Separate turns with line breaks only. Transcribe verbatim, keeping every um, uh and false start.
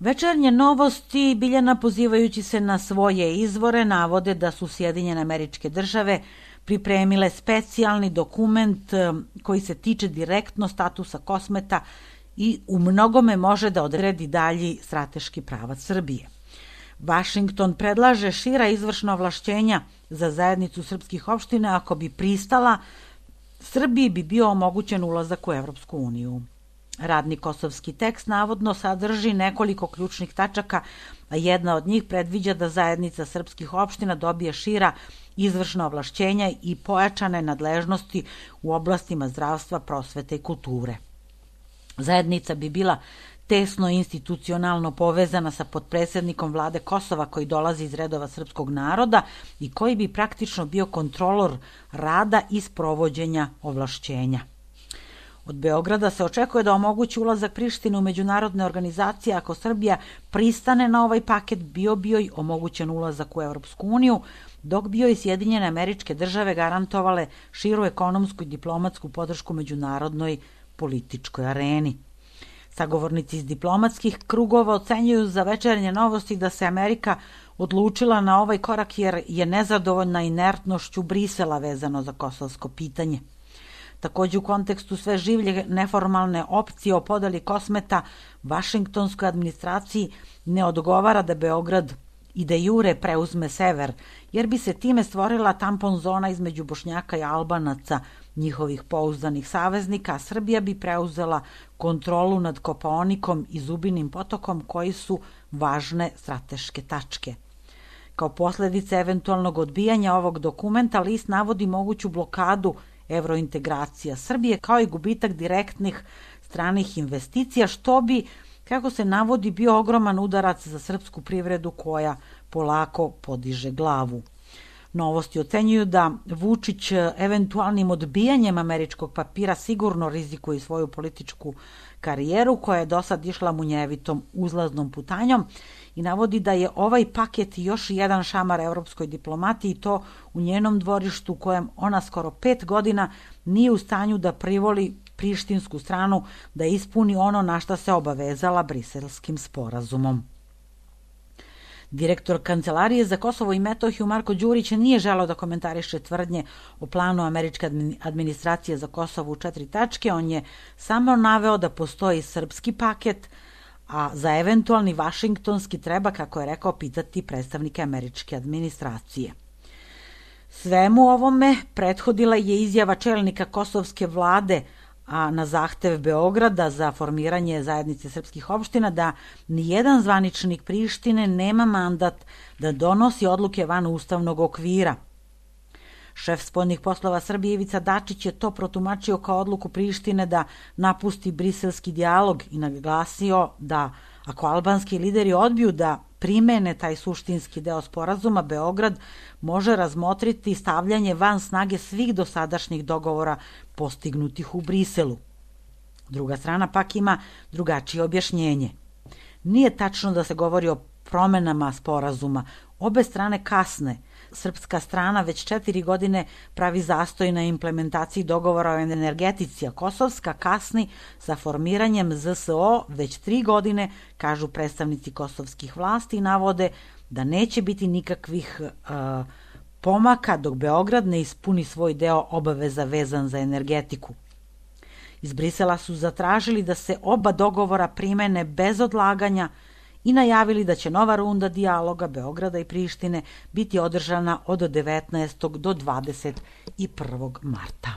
Večernje novosti, Biljana pozivajući se na svoje izvore, navode da su Sjedinjene Američke Države pripremile specijalni dokument koji se tiče direktno statusa Kosmeta i u mnogome može da odredi dalji strateški pravac Srbije. Vašington predlaže šira izvršna ovlašćenja za zajednicu srpskih opština. Ako bi pristala, Srbiji bi bio omogućen ulazak u Evropsku uniju. Radni kosovski tekst navodno sadrži nekoliko ključnih tačaka, a jedna od njih predviđa da zajednica srpskih opština dobije šira izvršna ovlašćenja i pojačane nadležnosti u oblastima zdravstva, prosvete i kulture. Zajednica bi bila tesno institucionalno povezana sa potpredsednikom vlade Kosova koji dolazi iz redova srpskog naroda i koji bi praktično bio kontrolor rada i sprovođenja ovlašćenja. Od Beograda se očekuje da omogući ulazak Prištine u međunarodne organizacije. Ako Srbija pristane na ovaj paket, bio bi joj omogućen ulazak u Evropsku uniju, dok bi joj Sjedinjene Američke Države garantovale širu ekonomsku i diplomatsku podršku međunarodnoj političkoj areni. Sagovornici iz diplomatskih krugova ocenjuju za večernje novosti da se Amerika odlučila na ovaj korak jer je nezadovoljna inertnošću Brisela vezano za kosovsko pitanje. Takođe, u kontekstu sve življe neformalne opcije o podeli Kosmeta, vašingtonskoj administraciji ne odgovara da Beograd i de jure preuzme sever, jer bi se time stvorila tampon zona između Bošnjaka i Albanaca, njihovih pouzdanih saveznika, a Srbija bi preuzela kontrolu nad Kopaonikom i Zubinim potokom, koji su važne strateške tačke. Kao posledice eventualnog odbijanja ovog dokumenta, list navodi moguću blokadu evrointegracija Srbije, kao i gubitak direktnih stranih investicija, što bi, kako se navodi, bio ogroman udarac za srpsku privredu koja polako podiže glavu. Novosti ocenjuju da Vučić eventualnim odbijanjem američkog papira sigurno rizikuje svoju političku karijeru koja je do sad išla munjevitom uzlaznom putanjom i navodi da je ovaj paket još jedan šamar evropskoj diplomatiji i to u njenom dvorištu u kojem ona skoro pet godina nije u stanju da privoli prištinsku stranu da ispuni ono na šta se obavezala Briselskim sporazumom. Direktor Kancelarije za Kosovo i Metohiju Marko Đurić nije želeo da komentariše tvrdnje o planu američke administracije za Kosovo u četiri tačke. On je samo naveo da postoji srpski paket, a za eventualni vašingtonski treba, kako je rekao, pitati predstavnike američke administracije. Svemu ovome prethodila je izjava čelnika kosovske vlade, a na zahtev Beograda za formiranje zajednice srpskih opština da nijedan zvaničnik Prištine nema mandat da donosi odluke van ustavnog okvira. Šef spoljnih poslova Srbije Ivica Dačić je to protumačio kao odluku Prištine da napusti briselski dijalog i naglasio da ako albanski lideri odbiju da primene taj suštinski deo sporazuma, Beograd može razmotriti stavljanje van snage svih dosadašnjih dogovora postignutih u Briselu. Druga strana pak ima drugačije objašnjenje. Nije tačno da se govori o promenama sporazuma. Obe strane kasne. Srpska strana već četiri godine pravi zastoj na implementaciji dogovora o energetici, a kosovska kasni sa formiranjem Z S O već tri godine, kažu predstavnici kosovskih vlasti i navode da neće biti nikakvih uh, pomaka dok Beograd ne ispuni svoj deo obaveza vezan za energetiku. Iz Brisela su zatražili da se oba dogovora primene bez odlaganja i najavili da će nova runda dijaloga Beograda i Prištine biti održana od devetnaestog do dvadeset prvog marta.